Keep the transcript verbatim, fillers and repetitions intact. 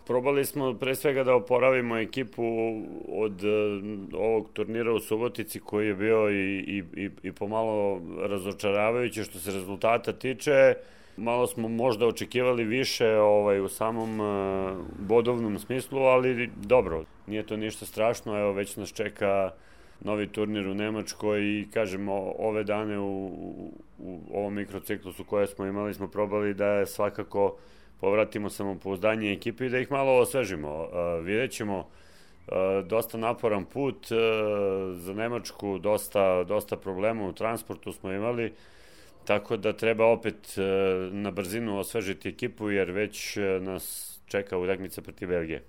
Probali smo pre svega da oporavimo ekipu od ovog turnira u Subotici koji je bio i, i, i pomalo razočaravajući što se rezultata tiče. Malo smo možda očekivali više ovaj, u samom uh, bodovnom smislu, ali dobro, nije to ništa strašno. Evo, već nas čeka novi turnir u Nemačkoj i kažemo ove dane u, u, u ovom mikrociklusu koje smo imali smo probali da svakako povratimo samopouzdanje ekipi i da ih malo osvežimo. Uh, vidjet ćemo uh, dosta naporan put uh, za Nemačku, dosta, dosta problema u transportu smo imali, tako da treba opet uh, na brzinu osvežiti ekipu jer već uh, nas čeka utakmica protiv Belgije.